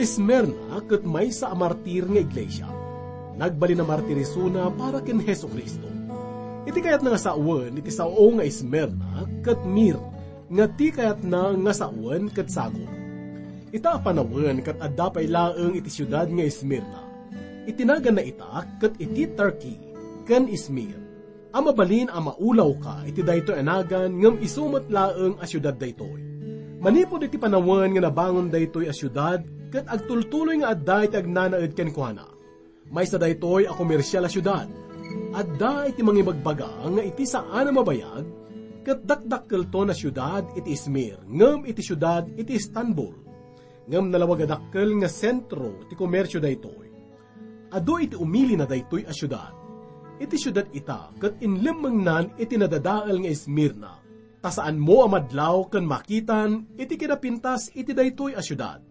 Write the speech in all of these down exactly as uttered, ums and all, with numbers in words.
Esmirna ket maysa a martir nga iglesia. Nagbalin a martirisona para ken Jesu-Cristo. Iti kayatna nga sawen iti sao nga Esmirna ket mir nga ti kayatna nga sawen ket sagut. Ita a panawen ket adda pay laeng iti siudad nga Esmirna. Iti naganna ita ket iti Turkey ken Izmir. A mabalin a maulawka iti daytoy a nagan ngem isu met laeng a siudad daytoy. Manipud iti panawen nga nabangon daytoy a siudad ket agtultuloy nga adda iti agnanaed kenkuana. Maysa daytoy a komersial a siudad. Adda iti mangibagbaga nga iti saan a mabayag ket dakdakkelton a siudad iti Izmir ngem iti siudad iti Istanbul. Ngem nalawag a dakkel nga sentro ti komersio daytoy. Adu iti umilina daytoy a siudad. Iti siudad ita ket inlemmengnan iti nadadael nga Esmirna, ta saanmo a madlaw ken makitan iti kinapintas iti daytoy a siudad.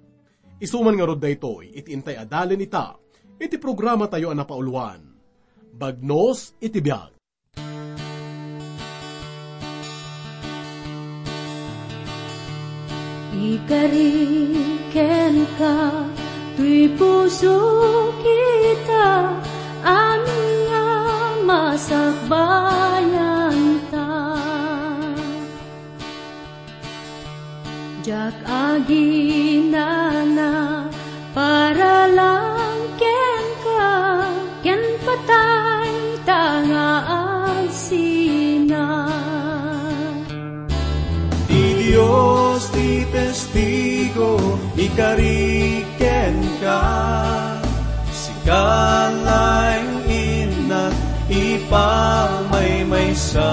Isu man ngarud daytoy iti intay a dalen ita iti programatayo a napauluan, Bagnos iti Biag. Ikari kenka, toy puso kita, amin nga masakbayanta. Diak aginana para lang kenka, ken patay ta nga agsina. Ti Dios ti testigo, ikari kenka, sika laeng innak ipamaymaysa.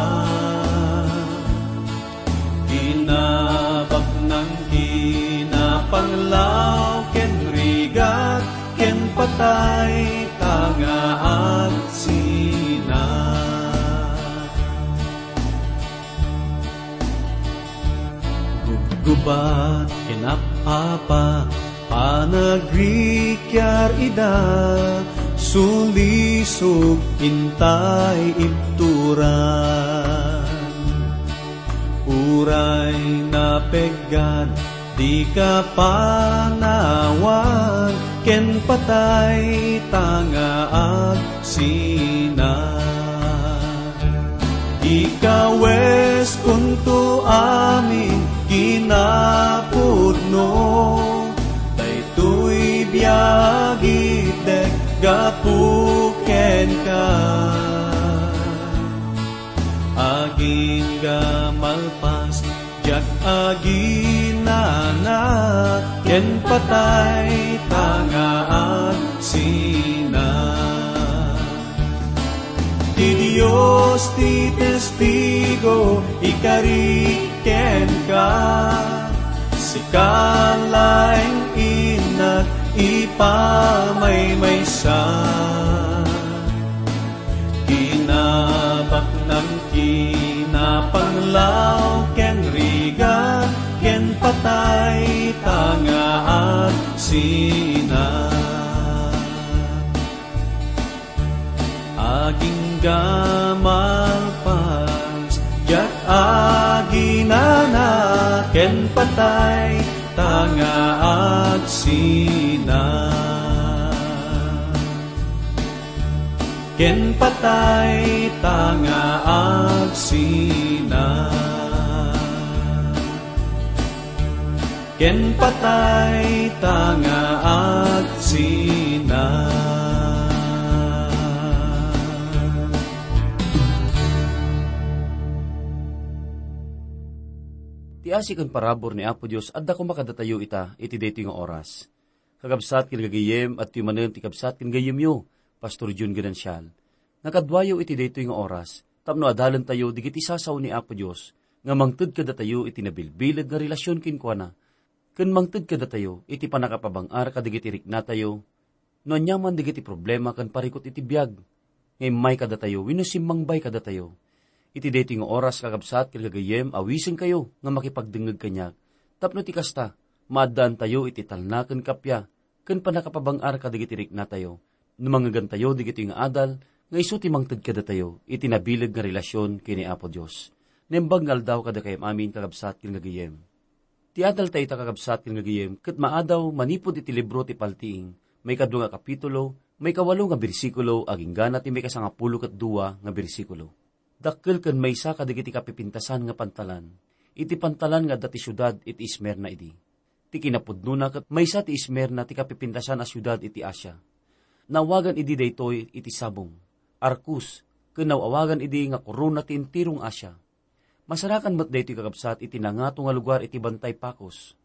Kinabaknang kinapanglaw ken rigat ken patay ta nga agsina. Gubgubat ken apapa, panagrikiar ida, sulisog intay ibturan. Uray napeggad, dika panawan, ken patay ta nga agsina. Ikawes kunto amin kinapudno, daytoy biag itdek gapu kenka. Agingga malpas, diak aginana, ken patay ta nga agsina. Ti Dios ti testigo, ikari kenka, sika laeng innak ipamaymaysa. Kinabaknang kinapanglaw ken rigat ken patay ta nga agsina. Agingga malpas, diak aginana ken patay ta nga agsina. Ken patay ta nga agsina. Ken patay ta nga agsina. Ti asi ken parabur ni Apo Dios adda koma kadatayo ita iti daytoy nga oras. Kakabsat ken gagayyem, adtoy manen ti kabsat ken gayyemyo, Pastor Jun Ganancial. Nakaduayo iti daytoy nga oras, tapno adalentayo dagiti sasao ni Apo Dios, nga mangted kadatayo iti nabilbileg nga relasyon kenkuana, ken mangted kadatayo iti pannakapabang-ar kadagiti riknatayo, no aniaman dagiti problema ken parikut iti biag nga immay kadatayo wenno simmangbay kadatayo. Iti daytoy nga oras, kakabsat ken gagayyem, awisenkayo nga makipagdengngeg kaniak, tapno ti kasta, maaddaantayo iti talna ken kappia ken pannakapabang-ar kadagiti riknatayo, no mangngegantayo dagitoy nga adal nga isu ti mangted kadatayo iti nabileg nga relasyon ken ni Apo Dios. Naimbag nga aldaw kadakayo amin, kakabsat ken gagayyem. Ti adal tayo ta kakabsat ken gagayem ket maadaw manipud iti libro ti Paltiing, maikadua nga kapitulo, maikawalo nga bersikulo, aginggana ti maikasangapulo ket dua nga bersikulo. Dakkel ken maysa kadagiti kapipintasan nga pantalan, iti pantalan nga adda ti siudad iti Esmirna idi. Ti kinapudnona ket maysa ti Esmirna ti kapipintasan a siudad iti Asia. Naawagan idi daytoy iti sabong, arkus, ken naawagan idi nga korona ti enterong Asia. Masarakan met daytoy kakabsat iti nangato nga lugar iti Bantay Pacos.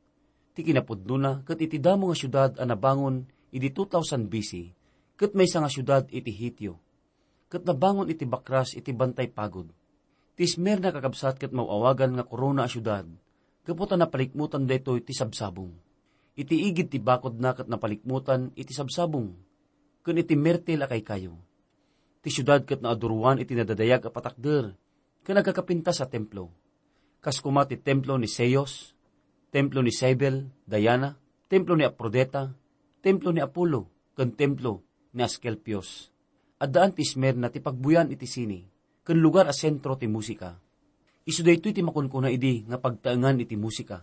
Ti kinapudnona ket iti damo nga siudad a nabangon idi two thousand B C, ket maysa nga siudad iti Hitio, ket nabangon iti bakras iti Bantay Pagod. Ti Esmirna kakabsat ket maawagan nga korona a siudad, gapu ta napalikmutan daytoy ti sabsabong. Iti igid ti bakodna ket napalikmutan iti sabsabong, ken iti mirtil a kaykayo. Ti siudad ket naaduroan iti nadadayag a patakder ken agkakapintas a templo. Kas koma ti templo ni Zeus, templo ni Cybele, Diana, templo ni Aphrodite, templo ni Apollo, ken templo ni Asclepius. Addaan ti Esmirna ti pagbuyan iti sine, ken lugar a sentro ti musika. Isu daytoy ti makunkuna idi nga pagtaengan iti musika.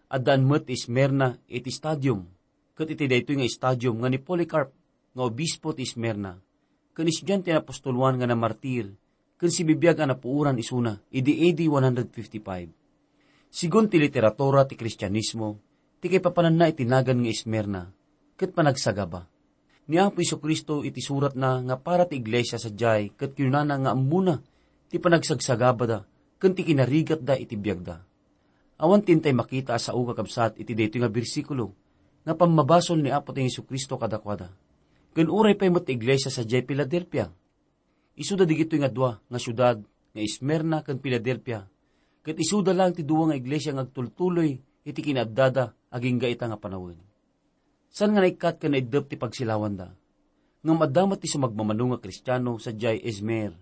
Addaan met ti Esmirna iti stadium, ket iti daytoy nga stadium nga ni Polycarp nga obispo ti Esmirna, ken estudiante ni apostol Juan nga namartir, ken sibibiag a napuoran isuna idi A D one hundred fifty-five. Sigun ti literatura ti Kristianismo, ti kaipapananna iti nagan nga Esmirna, ket panagsagaba. Ni Apo Jesu-Cristo iti suratna nga para ti iglesia sadiay ket kinunana nga ammona ti panagsagsagabada ken ti kinarigatda iti biagda. Awan ti intay makita a sao kakabsat iti daytoy nga bersikulo nga pammabasol ni Apo ti Jesu-Cristo kadakuada. Ken uray pay met ti iglesia sadiay Filadelfia. Isuda digitoy nga dua nga siudad nga Esmirna ken Filadelfia, ket isuda laeng ti dua nga iglesia nga agtultuloy iti kinaaddada agingga ita nga panawen. Saan nga naikkat ken naiddep ti pagsilawanda. Ngem adda met ti sumagmamano nga Kristiano sadiay Izmir.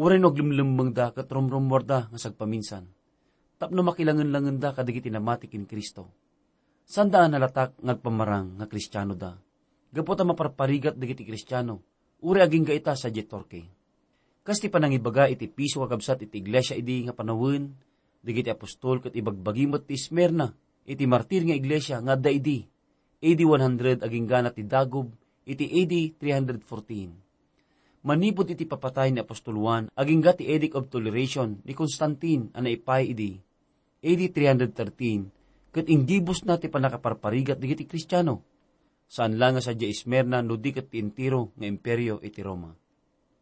Uray no aglemlemmengda ket rumrummuarda nga sagpaminsan, tapno makilangenlangenda kadagiti namati ken Cristo. Saanda a nalatak nga agpamarang nga Kristianoda, gapu ta maparparigat dagiti Kristiano, uray agingga ita sadiay Turkey. Kas ti panangibaga iti Efeso kakabsat iti iglesia idi nga panawen, dagiti apostol ket ibagbagi met ti Esmirna iti martir nga iglesia nga adda idi, A D one hundred aginggana ti dagub iti A D three hundred fourteen. Manipud iti papatay ni apostol Juan agingga ti Edict of Toleration ni Constantine a naipaay idi, A D three hundred thirteen, ket inggibusna ti pannakaparparigat dagiti Kristiano. Saan la nga sadiay Esmirna no di ket ti entero nga imperio iti Roma.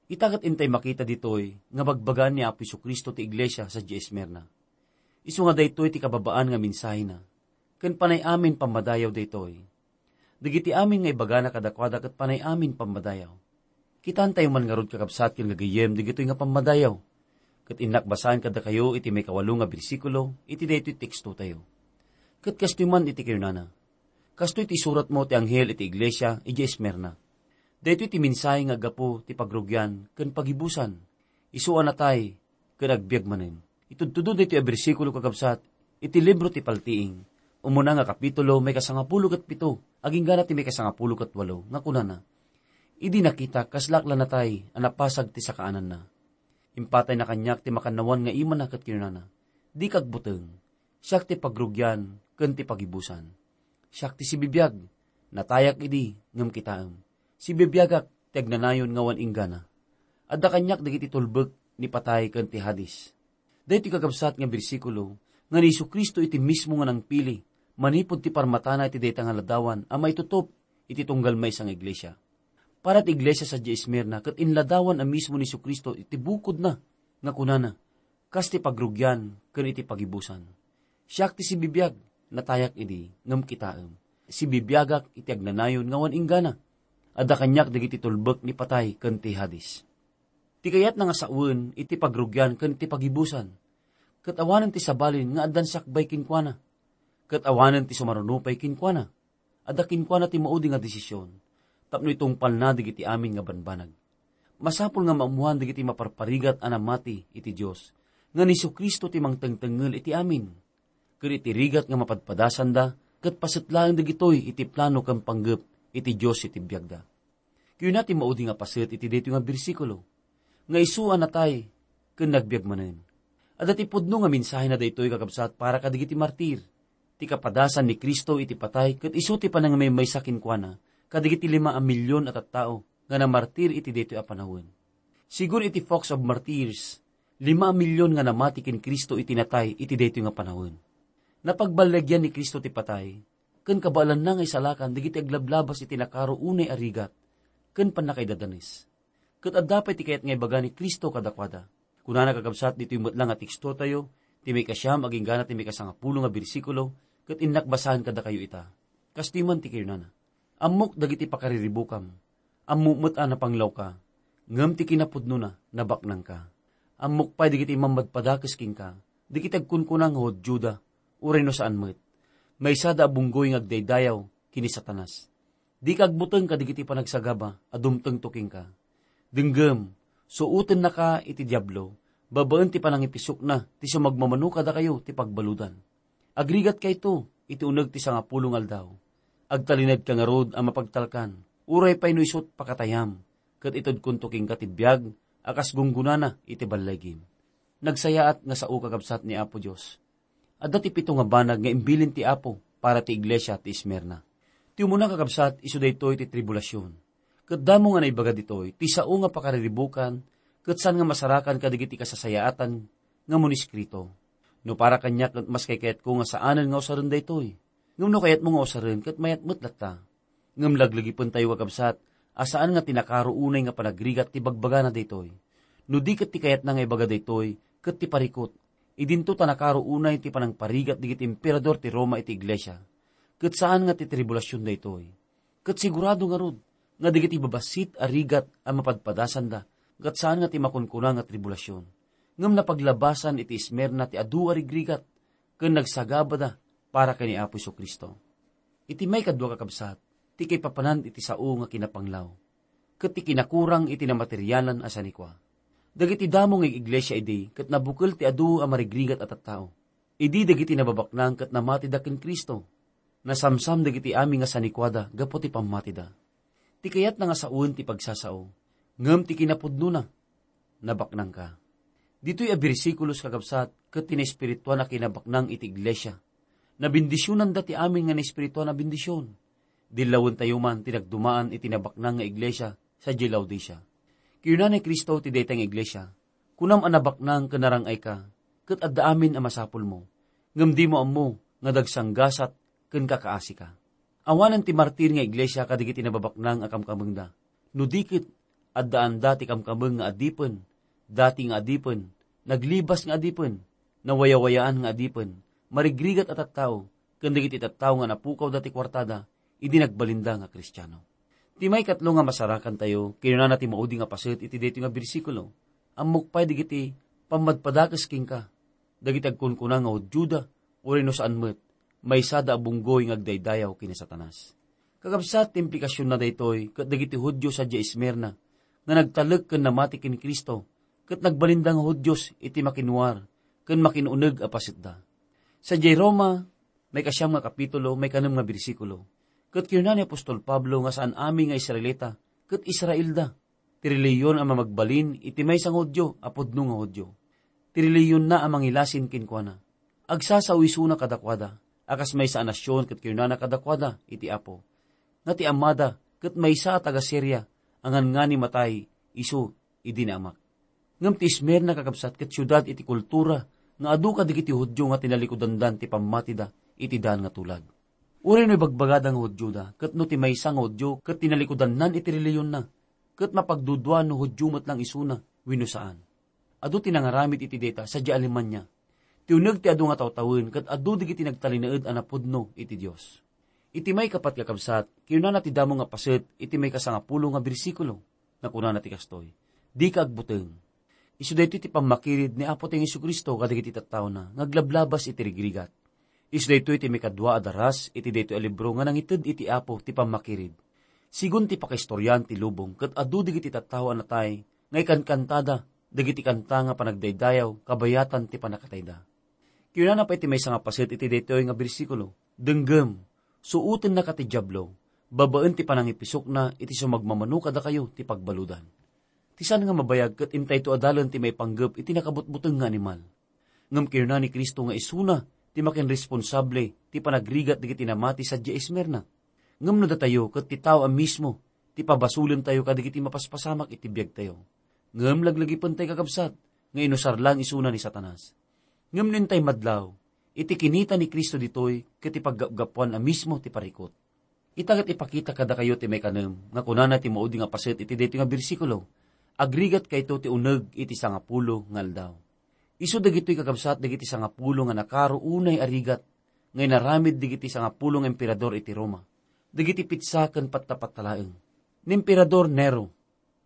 Ita ket intay makita ditoy nga bagbagaan ni Apo Jesu-Cristo ti iglesia sadiay Esmirna. Isu nga daytoy ti kababaan nga mensahena, ken panay amin pammadayaw daytoy. Dagiti amin nga ibagana kadakuada ket panay amin pammadayaw. Kitaentayo man ngarud, kakabsat ken gagayyem, dagitoy nga pammadayaw. Ket innak basaen kadakayo iti maikawalo nga bersikulo iti daytoy tekstotayo. Ket kastoy man iti kinunana, "Kastoy ti isuratmo ti anghel iti iglesia idiay Esmirna. Daytoy ti mensahe nga aggapu ti pagrugian ken pagibusan. Isu a natay ken agbiag manen." Itudtudo daytoy a bersikulo, kakabsat, iti libro ti Paltiing, umuna nga kapitulo, maikasangapulo ket pito, aginggana ti maikasangapulo ket walo, nga kunana, "Idi nakitak, kaslaak la natay a napasag ti sakaananna. Impatayna kaniak ti makannawan nga imana ket kinunana, 'Dika agbuteng. Siak ti pagrugian ken ti pagibusan. Siak ti sibibiag, natayak idi, ngem kitaem. Sibibiagak ti agnanayon nga awan inggana. Adda kaniak dagiti tulbek ni patay ken ti Hades.'" Daytoy kakabsat nga bersikulo nga ni Jesu-Cristo iti mismo nga nangpili manipud ti parmatana iti dayta nga ladawan a maitutop iti tunggal maysa nga iglesia. Para ti iglesia sadiay Esmirna ket inladawan a mismo ni Jesu-Cristo iti bukodna nga kunana, "Kas ti pagrugian ken iti pagibusan. Siak ti sibibiag, natayak idi, ngem kitaem. Sibibiagak iti agnanayon nga awan inggana. Adda kaniak dagiti tulbek ni patay ken ti Hades." Ti kayatna nga sawen iti pagrugian ken iti pagibusan, ket awanen ti sabalin nga addan sakbay kenkuana, ket awanen ti sumaruno pay kenkuana. Adda kenkuana ti maudi nga desisyon tapno itungpalna dagiti amin nga banbanag. Masapul nga maammoan dagiti maparparigat a namati iti Dios nga ni Jesu-Cristo ti mangtengtengngel iti amin, ken iti rigat nga mapadpadasanda ket paset laeng dagitoy iti plano ken panggep iti Dios iti biagda. Kuna ti maudi nga paset iti daytoy nga bersikulo, nga isu a natay ken nagbiag manen. Adda ti pudno nga mensahena daytoy, kakabsat, para kadagiti martir. ti kapadasan ni Cristo iti patay ket isu ti panangimaymaysa kenkuana kadagiti lima a milion a tattao nga namartir iti daytoy a panawen. Sigun iti Fox of Martyrs, lima a milion nga namati ken Cristo iti natay iti daytoy nga panawen. Napagballegian ni Cristo ti patay, ken kabaelanna nga isalakan dagiti aglablabas iti nakaro unay a rigat ken pannakaidadanes. Ket adda pay ti kayat nga ibaga ni Cristo kadakuada. Kunana kakabsat ditoy met la nga tekstotayo, ti maikasiam agingga ti maikasangapulo nga bersikulo, ket innak basaen kadakayo ita. Kastoy man ti kinunana, "Ammok dagiti pakariribukam. Ammok met a napanglawka, ngem ti kinapudnona, nabaknangka. Ammok pay dagiti mammadpadakes kenka, dagiti agkunkuna nga Judioda, uray no saan met. Maysada a bunggoy nga agdaydayaw ken ni Satanas. Dika agbuteng kadagiti panagsagaba a dumtengto kenka. Denggem, suotennaka iti Diablo, babaen ti panangipisokna ti sumagmamano kadakayo ti pagbaludan." Agrigatkayto iti uneg ti sangapulo nga aldaw. Agtalinedka ngarud a mapagtalkan, uray pay no isut' pakatayam, ket itedkonto kenka ti biag a kas gunggonana iti ballegim. Nagsayaat nga sao, kakabsat, ni Apo Dios. Adda ti pito nga banag nga imbilin ti Apo para ti iglesia ti Esmirna. Ti umuna, kakabsat, isu daytoy ti tribulasion. Ket damo nga naibaga ditoy ti sao nga pakariribukan ket saan nga masarakan kadagiti kasasayaatan nga muniskrito. No para kaniak, ket mas kaykayatko nga saanen nga usaren daytoy. Ngem no kayatmo nga usaren, ket mayat met latta. Ngem laglagipentayo, kakabsat, a saan nga ti nakaro unay nga panagrigat ti bagbagana daytoy. No di ket ti kayatna nga ibaga daytoy, ket ti parikut, idinto ta nakaro unay ti panangparigat dagiti emperador ti Roma iti iglesia. Ket saan nga ti tribulasion daytoy. Ket sigurado ngarud nga dagiti babassit a rigat a mapadpadasanda ket saan nga ti makunkuna nga tribulasion, ngem napaglabasan iti Esmirna ti adu a rigrigat ken nagsagabada para ken ni Apo Jesu-Cristo. Iti maikadua, kakabsat, ti kaipapanan iti sao nga kinapanglaw ket ti kinakurang iti namaterialan a sanikua. Dagiti damo nga iglesia idi ket nabukel ti adu a marigrigat a tattao. Idi dagiti nababaknang ket namatida ken Cristo, nasamsam dagiti amin nga sanikuada gapu ti pammatida. Ti kayatna nga saoen ti pagsasao, ngem ti kinapudnona, nabaknangka. Ditoy a bersikulos, kakabsat, ket ti naespirituan a kinabaknang iti iglesia. Nabendisionanda ti amin nga naespirituan a bendision. Dillawentayo man ti nagdumaan iti nabaknang nga iglesia sadiay Laodicea. Kinuna ni Cristo ti dayta nga iglesia, "Kunam a nabaknang ken narang-ayka, ket adda amin a masapulmo, ngem dimo ammo nga dagsanggasat ken kakaasika." Awanen ti martir nga iglesia kadagiti nababaknang a kamkamengda. No di ket, addaanda ti kamkameng nga adipen, dati nga adipen, naglibas nga adipen, nawayawayaan nga adipen, marigrigat a tattao, ken dagiti tattao nga napukawda ti kuartada idi nagbalinda nga Kristiano. Ti maikatlo nga masarakantayo, kinunana ti maudi nga paset iti daytoy nga bersikulo, "Ammok pay dagiti pammadpadakes kenka, dagiti agkunkuna nga Judioda, uray no saan met, maysada a bunggoy nga agdaydayaw ken ni Satanas." Kakabsat, ti implikasionna daytoy ket dagiti Judio sadiay Esmirna nga nagtalek ken namati ken Cristo ket nagbalinda nga Judios iti makinwar ken makin-uneg a pasetda. Sadiay Roma, maikasiam nga kapitulo, maikanem nga bersikulo, ket kinuna ni apostol Pablo nga saan amin nga Israelita ket Israelda. Ti relihiyon a mamagbalin iti maysa nga Judio a pudno nga Judio. Ti relihiyonna a mangilasin kenkuana. Agsasao isuna kadakuada a kas maysa a nasion ket kinunana kadakuada iti Apo nga ti amada ket maysa a taga-Siria a nganngani matay isu idi ni amak. Ngem ti Esmirna, kakabsat, ket siudad iti kultura nga adu kadagiti Judio nga tinalikudandan ti pammatida iti daan nga tulag. Uray no ibagbagada nga Judioda, ket no ti maysa nga Judio ket tinalikudannan iti relihiyonna, ket mapagdudua no Judio met lang isuna wenno saan. Adu ti nangaramid iti dayta sadiay Alemania. Ti uneg ti adu nga tawtawen ket adu dagiti nagtalinaed a napudno iti Dios. Iti maikapat, kakabsat, kinunana ti damo nga paset iti maikasangapulo nga bersikulo. Nakunana ti kastoy, "Dika agbuteng." Isu daytoy ti pammakirid ni Apo Dios Jesu-Cristo kadagiti tattaona nga aglablabas iti rigrigat. Isu daytoy ti maikadua a daras iti daytoy a libro nga nangited iti Apo ti pammakirid. Sigun ti pakaistoriaan ti lubong ket adu dagiti tattao a natay nga ikankantada dagiti kanta nga panagdaydayaw kabayatan ti pannakatayda. Kinunana pay ti maysa nga paset iti daytoy nga bersikulo, "Denggem, suotennaka ti Diablo, babaen ti panangipisokna iti sumagmamano kadakayo ti pagbaludan." Ti saan nga mabayag ket intayto a dalen ti maipanggep iti nakabutbuteng nga animal. Ngem kinuna ni Cristo nga isuna ti makinresponsable ti panagrigat dagiti namati sadiay Esmirna. Ngem no datayo ket ti tao a mismo ti pabasolentayo kadagiti mapaspasamak iti biagtayo. Ngem laglagipentayo, kakabsat, nga inusar laeng isuna ni Satanas. Ngem no intay madlaw, iti kinita ni Cristo ditoy ket ti paggapgapuan a mismo ti parikut. Ita ket ipakita kadakayo ti maikanem nga kunana ti maudi nga paset iti daytoy nga bersikulo, "Agrigatkayto ti uneg iti sangapulo nga aldaw." Isu dagitoy, kakabsat, dagiti sangapulo nga nakaro unay a rigat nga inaramid dagiti sangapulo nga emperador iti Roma, dagiti petsa ken patta-patta laeng. Ni Emperador Nero,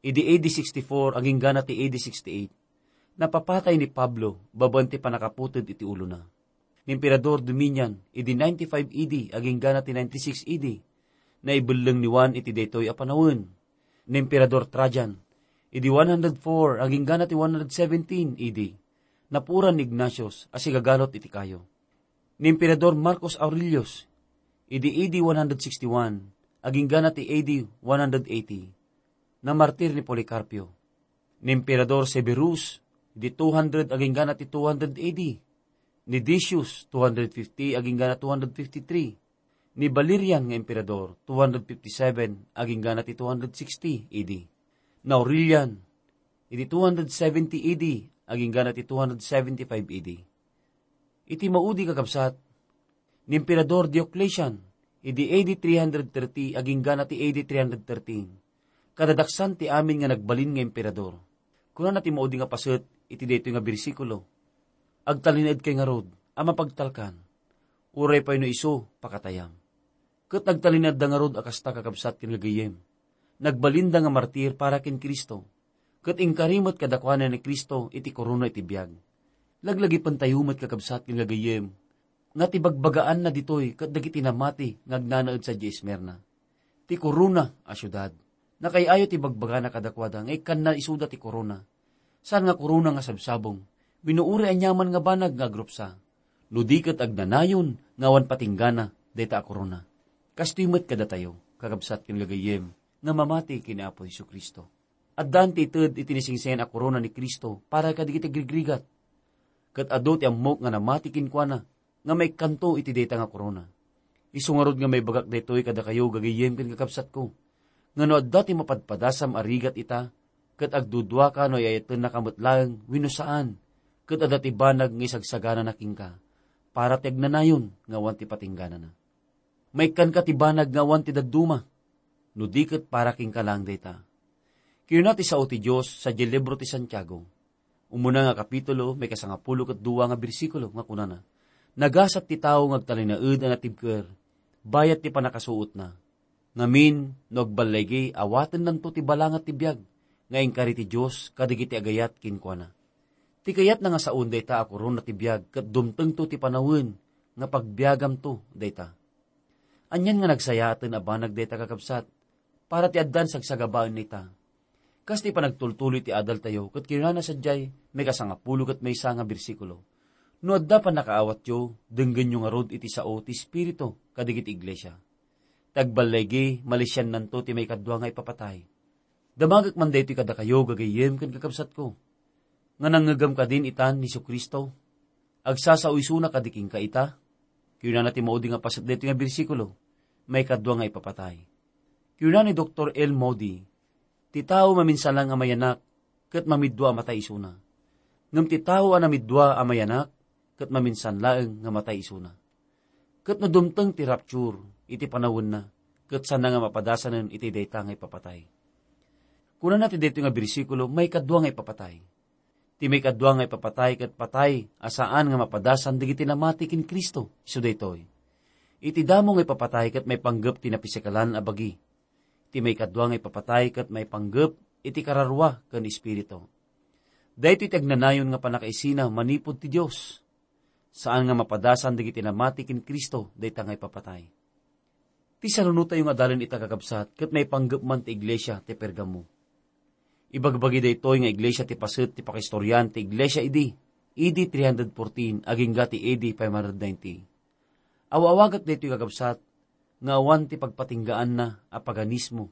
idi A D sixty-four aginggana ti A D sixty-eight, napapatay ni Pablo babaen ti pannakaputed iti ulona. Ni Emperador Domitian, idi ninety-five A D aginggana ti ninety-six A D, naibelleng ni Juan iti daytoy a panawen. Ni Emperador Trajan, idi one hundred four aginggana ti one hundred seventeen A D, napuran ni Ignatius a sigagalot iti kayo. Ni Emperador Marcos Aurelius, idi A D one hundred sixty-one aginggana ti A D one hundred eighty, namartir ni Policarpio. Ni Emperador Severus, idi two hundred aginggana ti two hundred A D. Ni Decius, two hundred fifty aginggana two hundred fifty-three. Ni Valerian nga emperador, two hundred fifty-seven aginggana ti two hundred sixty A D. Ni Aurelian, idi two hundred seventy A D aginggana ti two hundred seventy-five A D. Iti maudi, kakabsat, ni Emperador Diocletian, idi A D three hundred thirty aginggana ti A D three hundred thirteen, kadadaksan ti amin nga nagbalin nga emperador. Kunana ti maudi nga paset iti daytoy nga bersikulo, "Agtalinaedkay ngarud a mapagtalkan, uray pay no isu pakatayam." Ket nagtalinaedda ngarud a kasta, kakabsat ken gagayyem. Nagbalinda nga martir para ken Cristo, ket inkari met kadakuada ni Cristo iti korona iti biag. Laglagipentayo met, kakabsat ken gagayyem, nga ti bagbagaanna ditoy ket dagiti namati nga agnanaed sadiay Esmirna, ti korona a siudad. Nakaay-ayo ti bagbagana kadakuada nga ikkanna isuda ti korona. Saan nga korona nga sabsabong, wenno uray aniaman nga banag nga agrupsa, no di ket agnanayon nga awan patinggana dayta a korona. Kastoy met kadatayo, kakabsat ken gagayyem, nga mamati ken ni Apo Jesu-Cristo. Addaan ti ited iti naisingsangan a korona ni Cristo para kadagiti agrigrigat. Ket adu ti ammok nga namati kenkuana nga maikkanto iti dayta nga korona. Isu ngarud nga maibagak daytoy kadakayo, gagayyem ken kakabsatko, nga no adda ti mapadpadasam a rigat ita, ket agduduaka no ay-ayatennaka met laeng wenno saan, ket adda ti banag nga isagsaganana kenka, para ti agnanayon nga awan ti patingganana. Maikkanka ti banag nga awan ti dadduma, no di ket para kenka laeng dayta. Kinuna ti sao ti Dios sadiay libro ti Santiago, umuna nga kapitulo, maikasangapulo ket dua nga bersikulo, nga kunana, "Nagasat ti tao nga agtalinaed a natibker, bayat ti pannakasuotna. Ngamin, no agballaygi, awatennanto ti balangat ti biag nga inkari ti Dios kadagiti agayat kenkuana." Ti kayatna nga saon dayta a korona ti biag ket dumtengto ti panawen nga pagbiagamto dayta. Anian nga nagsayaaten a banag dayta, kakabsat, para ti addan sagsagabaen ita. Kas ti panagtultuloy ti adaltayo, ket kinunana sadiay maikasangapulo ket maysa nga bersikulo, "No adda pannakaawatyo, denggenyo ngarud iti sao ti Espiritu kadagiti iglesia. Ti agballaygi, malisiannanto ti maikadua nga ipapatay." Damagek man daytoy kadakayo, gagayyem ken kakabsatko, nga nangngegam kadin itan ni Jesu-Cristo? Agsasao isuna kadi kenka ita? Kinunana ti maudi nga paset daytoy nga bersikulo, maikadua nga ipapatay. Kinuna ni Doktor L. Moody, "Ti tao maminsan laeng a mayanak ket mamiddua a matay isuna. Ngem ti tao a namiddua a mayanak ket maminsan laeng nga matay isuna." Ket no dumteng ti rapture iti panawenna, ket saanna nga mapadasanen iti dayta nga ipapatay. Kunana ti daytoy nga bersikulo, maikadua nga ipapatay. Ti maikadua nga ipapatay ket patay a saan nga mapadasan dagiti namati ken Cristo, isu daytoy. Iti damo nga ipapatay ket maipanggep ti napisikalan a bagi. Ti maikadua nga ipapatay ket maipanggep iti kararua ken espiritu. Daytoy ti agnanayon nga pannakaisina manipud ti Dios. Saan nga mapadasan dagiti namati ken Cristo dayta nga ipapatay. Ti sarunotayo nga adalan ita, kakabsat, ket maipanggep man ti iglesia ti Pergamo. Ibagbagi daytoy nga iglesia ti paset ti pakaistorian ti iglesia idi A D three hundred fourteen agingga ti A D five hundred ninety. Aw-awagak daytoy, kakabsat, nga awan ti pagpatinggaanna a paganismo.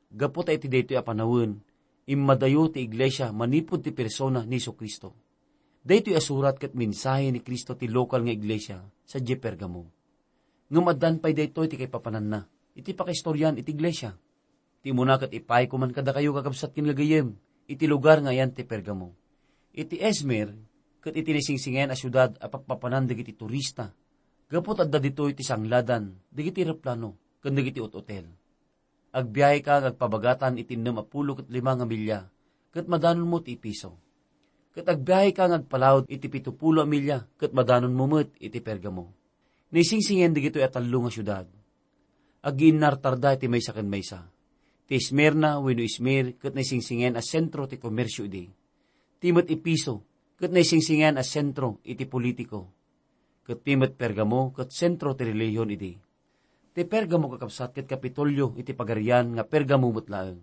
Gapu ta iti daytoy a panawen, immadayo ti iglesia manipud ti persona ni Jesu-Cristo. Daytoy a surat ket mensahe ni Cristo ti lokal nga iglesia sadiay Pergamo. Ngem addaan pay daytoy ti kaipapananna iti pakaistorian iti iglesia. Ti umuna ket ipayko man kadakayo, kakabsat ken gagayyem, iti lugar nga ayan ti Pergamo. Iti Izmir ket iti naisingsingayan a siudad a pakpapanan dagiti turista, gapu ta adda ditoy ti sangladan dagiti eroplano ken dagiti ut-otel. Agbiaheka nga agpabagatan iti ennem a pulo ket lima nga milya, ket madanonmo ti Efeso. Ket agbiaheka nga agpalaud iti pito pulo a milya, ket madanonmo met iti Pergamo. Naisingsingayan dagitoy a tallo nga siudad. Agiinnartarda iti maysa ken maysa. Ti Esmirna wenno Izmir ket naisingsingayan a sentro ti komersio idi. Ti met Efeso ket naisingsingayan a sentro iti politiko. Ket ti met Pergamo ket sentro ti relihion idi. Ti Pergamo, kakabsat, ket Kapitolio iti pagarian nga Pergamo met laeng.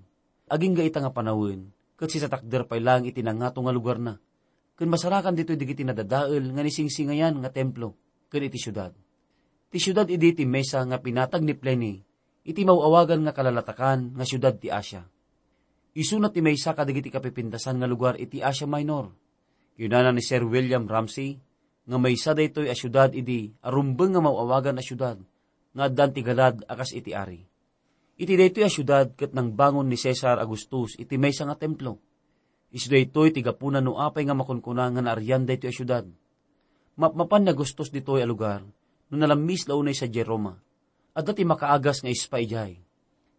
Agingga ita nga panawen, ket sisatakder pay laeng iti nangato nga lugarna, ken masarakan ditoy dagiti nadadael nga naisingsingayan nga templo ken iti siudad. Ti siudad idi ti mesa nga pinatag ni Pliny iti maw-awagan nga kalalatakan nga siudad ti Asia. Isuna ti maysa kadagiti kapipintasan nga lugar iti Asia Minor. Kinunana ni Sir William Ramsay nga maysa daytoy a siudad idi a rumbeng nga maw-awagan a siudad nga addaan ti galad a kas iti ari. Iti daytoy a siudad ket nangbangon ni Cesar Augustus iti maysa nga templo. Isu daytoy ti gapuna no apay nga makunkuna nga naarian daytoy a siudad. Mapmapan ni Augustus ditoy a lugar no nalammis la unay sadiay Roma. Adda ti makaagas nga ispa idiay.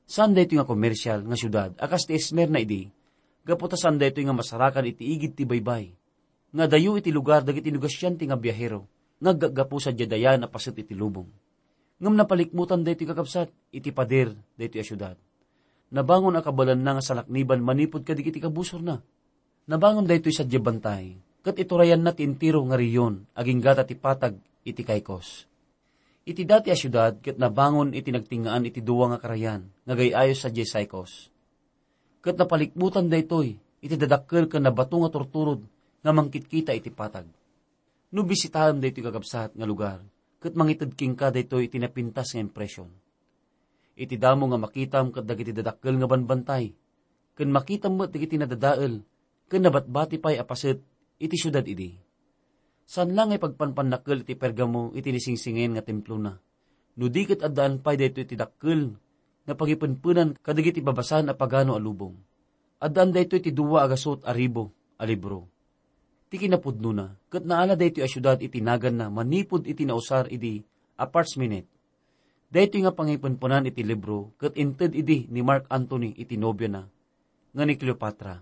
Saan daytoy nga komersial nga siudad a kas ti Esmirna idi, gapu ta saan daytoy nga masarakan iti igid ti baybay. Nga adayo iti lugar dagiti negosiante nga biahero nga aggaggapu sadiay dayaen a paset iti lubong. Ngem napalikmutan daytoy, kakabsat, iti pader daytoy a siudad. Nabangon a kabaelanna nga salakniban manipud kadagiti kabusorna. Nabangon daytoy sadiay bantay, ket iturayanna ti entero nga rehion agingga ta ti patag iti Caicos. Iti dati a siudad ket nabangon iti nagtingngaan iti dua nga karayan nga agay-ayo sadiay Caicos. Ket napalikmutan daytoy iti dadakkel ken nabato nga turturod nga mangkitkita iti patag. No bisitaem daytoy, kakabsat, nga lugar, ket mangited kenka daytoy iti napintas nga impresion. Iti damo nga makitam ket dagiti dadakkel nga banbantay, ken makitam met dagiti nadadael ken nabatbati pay a paset iti siudad idi. Saan la nga ipagpanpannakkel iti Pergamo iti naisingsingayan nga templona, no di ket addaan pay daytoy ti dakkel nga pagipenpenan kadagiti babasaan a pagano a lubong. Addaan daytoy ti dua a gasut a ribu a libro. Ti kinapudnona, ket naala daytoy a siudad iti naganna manipud iti nausar idi a parchment. Daytoy nga pangipenpenan iti libro ket inted idi ni Mark Antony iti nobiana nga ni Cleopatra.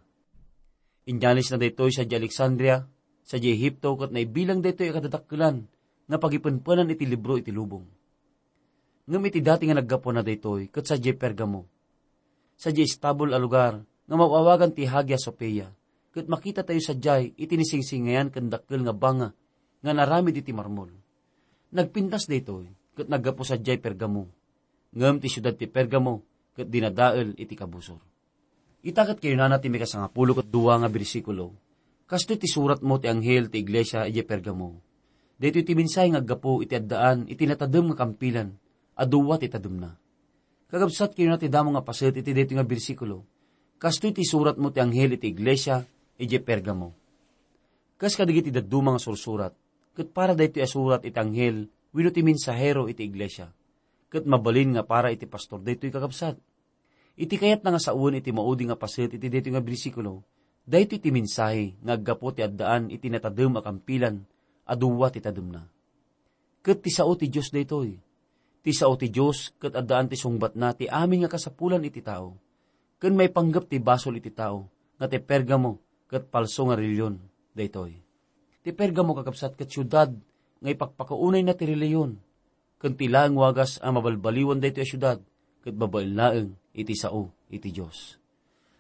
Inyalisna daytoy sadiay Alexandria, sadiay Egipto, ket naibilang daytoy a kadadakkelan nga pagipenpenan iti libro iti lubong. Ngem iti dati nga naggapuanna daytoy ket sadiay Pergamo, sadiay estabul a lugar nga maw-awagan ti Hagia Sophia, ket makitatayo sadiay iti naisingsingayan ken dakkel nga banga nga naaramid iti marmol. Nagpintas daytoy ket naggapu sadiay Pergamo. Ngem ti siudad ti Pergamo ket dinadael iti kabusor. Ita ket kinunana ti mikasangapulo ket dua nga bersikulo, "Kastoy ti suratmo ti anghel ti iglesia idiay Pergamo. Daytoy ti mensahe nga aggapu iti addaan iti natadem nga kampilan a dua ti tademna." Kakabsat, kinuna ti damo nga paset iti daytoy nga bersikulo, "Kastoy ti suratmo ti anghel iti iglesia idiay Pergamo." Kas kadagiti dadduma nga sursurat, ket para daytoy a surat iti anghel wenno ti mensahero iti iglesia. Ket mabalin nga para iti pastor daytoy, kakabsat. Iti kayatna nga sawen iti maudi nga paset iti daytoy nga bersikulo, daytoy ti mensahe nga aggapu ti addaan iti natadem a kampilan a dua ti tademna. Ket ti sao ti Dios daytoy. Ti sao ti Dios ket addaan ti sungbatna ti amin nga kasapulan iti tao. Ken maipanggep ti basol iti tao nga ti Pergamo ket palso nga relihion daytoy. Ti Pergamo, kakabsat, ket siudad nga ipakpakaunayna ti relihion, ken ti laeng wagas a mabalbaliwan daytoy a siudad ket babaen laeng iti sao iti Dios.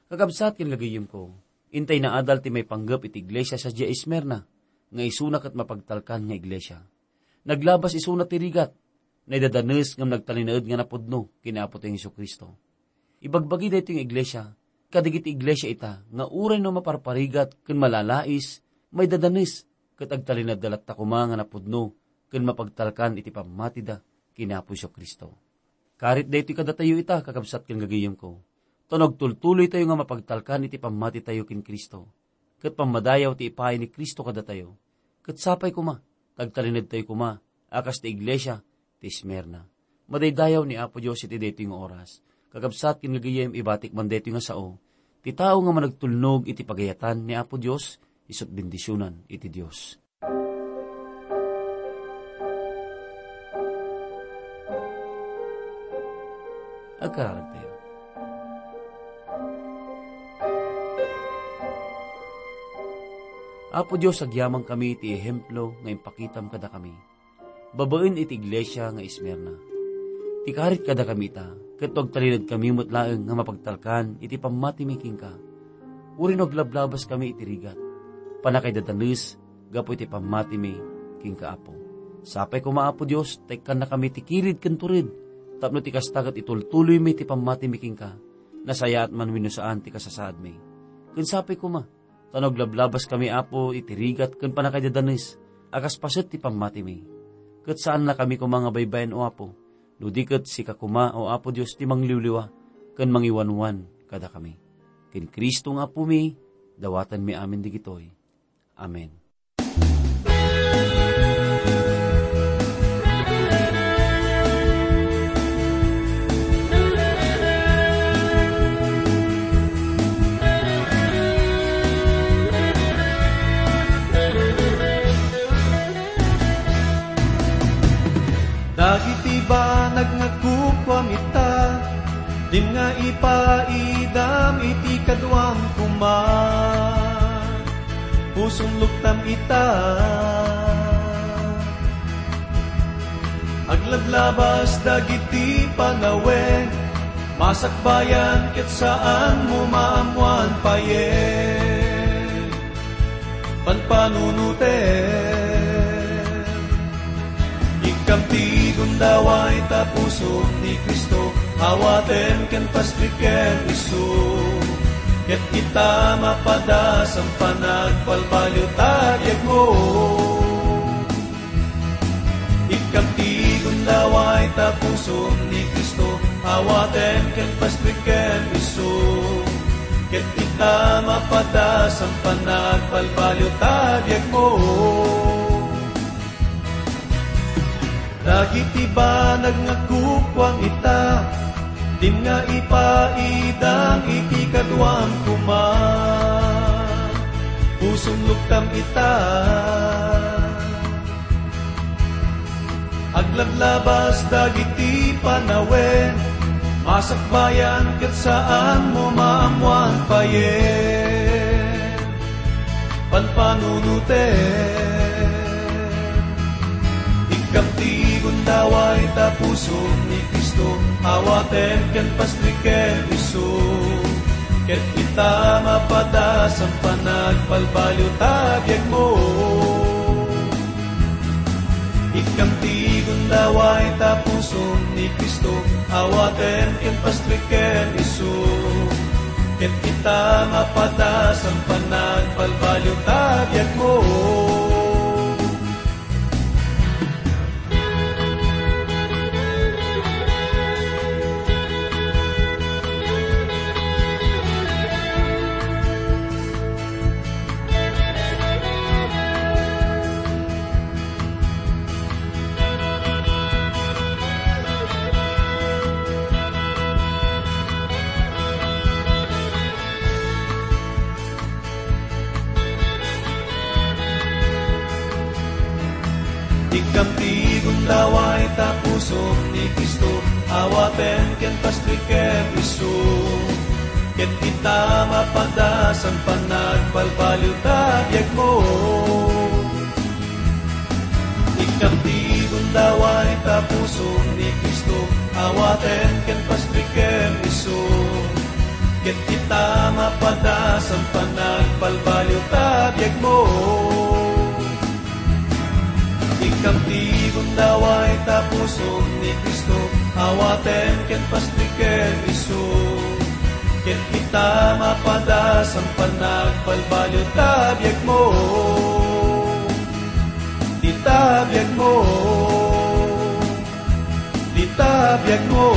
Kakabsat ken gagayyemko, intay naadal ti maipanggep iti iglesia sadiay Esmirna nga isuna ket mapagtalkan nga iglesia. Naglabas isuna ti rigat, naidadanes ngem nagtalinaed nga napudno ken ni Apotayo Jesu-Cristo. Ibagbagi daytoy nga iglesia kadagiti iglesia ita nga uray no maparparigat ken malalais, maidadanes, ket agtalinaedda latta koma nga napudno ken mapagtalkan iti pammatida ken ni Apo Jesu-Cristo. Karit daytoy kadatayo ita, kakabsat ken gagayyemko, ta no agtultuloytayo nga mapagtalkan iti pammatitayo ken Cristo, ket pammadayaw ti ipaay ni Cristo kadatayo. Ket sapay koma, ta agtalinedtayo koma, a kas ti iglesia ti Esmirna. Madaydayaw ni Apo Dios iti daytoy nga oras. Kakabsat ken gagayyem, ibatik man daytoy nga sao, ti tao nga managtulnog iti pagayatan ni Apo Dios, isu't bendisionan iti Dios. Agkararagtayo. Apo Dios, agyamankami iti ehemplo nga impakitam kadakami babaen iti iglesia nga Esmirna. Ti karit kadakami ita, ket no agtalinedkami met laeng nga mapagtalkan iti pammatimi kenka, uray no aglablabaskami iti rigat, pannakaidadannes gapu iti pammatimi kenka, Apo. Sapay koma, Apo Dios, ta ikkannakami ti kirid ken tured, tapno ti kasta ket itultuloymi ti pammatimi kenka, nasayaat man wenno saan ti kasasaadmi. Ken sapay koma, ta no aglablabaskami, Apo, iti rigat ken pannakaidadannes a kas paset ti pammatimi, ket saannakami koma nga baybay-en, O Apo, no di ket sika koma, O Apo Dios, ti mangliwliwa ken mangiwanwan kadakami. Ken Cristo nga Apomi, dawatenmi amin dagitoy. Amen. Dagiti banag nga kukuam ita, dim nga ipaidam iti kaduam koma. Pusom luktam ita. Aglablabas dagiti panawen, masakbayan ket saanmo maammoan payen. Panpanunotem. Ikkam ti gundaway ta pusom ni Cristo, awatem ken pastreken isu. Ket ita mapadas a panagbalbaliw ta biagmo. Ikkam ti gundaway ta pusom ni Cristo, awatem ken pastreken isu. Ket ita mapadas a panagbalbaliw ta biagmo. Dagiti banag nga kukuam ita, dim nga ipaidam iti kaduam koma. Pusom luktam ita. Aglablabas dagiti panawen, masakbayan ket saanmo maammoan payen. Panpanunotem. Ikkam ti gundaway ta pusom ni Cristo, awatem ken pastreken isu. Ket ita mapadas a panagbalbaliw ta biagmo. Ikkam ti gundaway ta pusom ni Cristo, awatem ken pastreken isu. Ket ita mapadas a panagbalbaliw ta biagmo. Ikkam ti gundaway ta pusom ni Cristo, awatem ken pastreken isu. Ket ita mapadas a panagbalbaliw ta biagmo. Ikkam ti gundaway ta pusom ni Cristo, awatem ken pastreken isu. Ket ita mapadas a panagbalbaliw ta biagmo. Ikkam ti gundaway ta pusom ni Cristo, awatem ken pastreken isu. Ket ita mapadas a panagbalbaliw ta biagmo. Ita biagmo. Dita biagmo.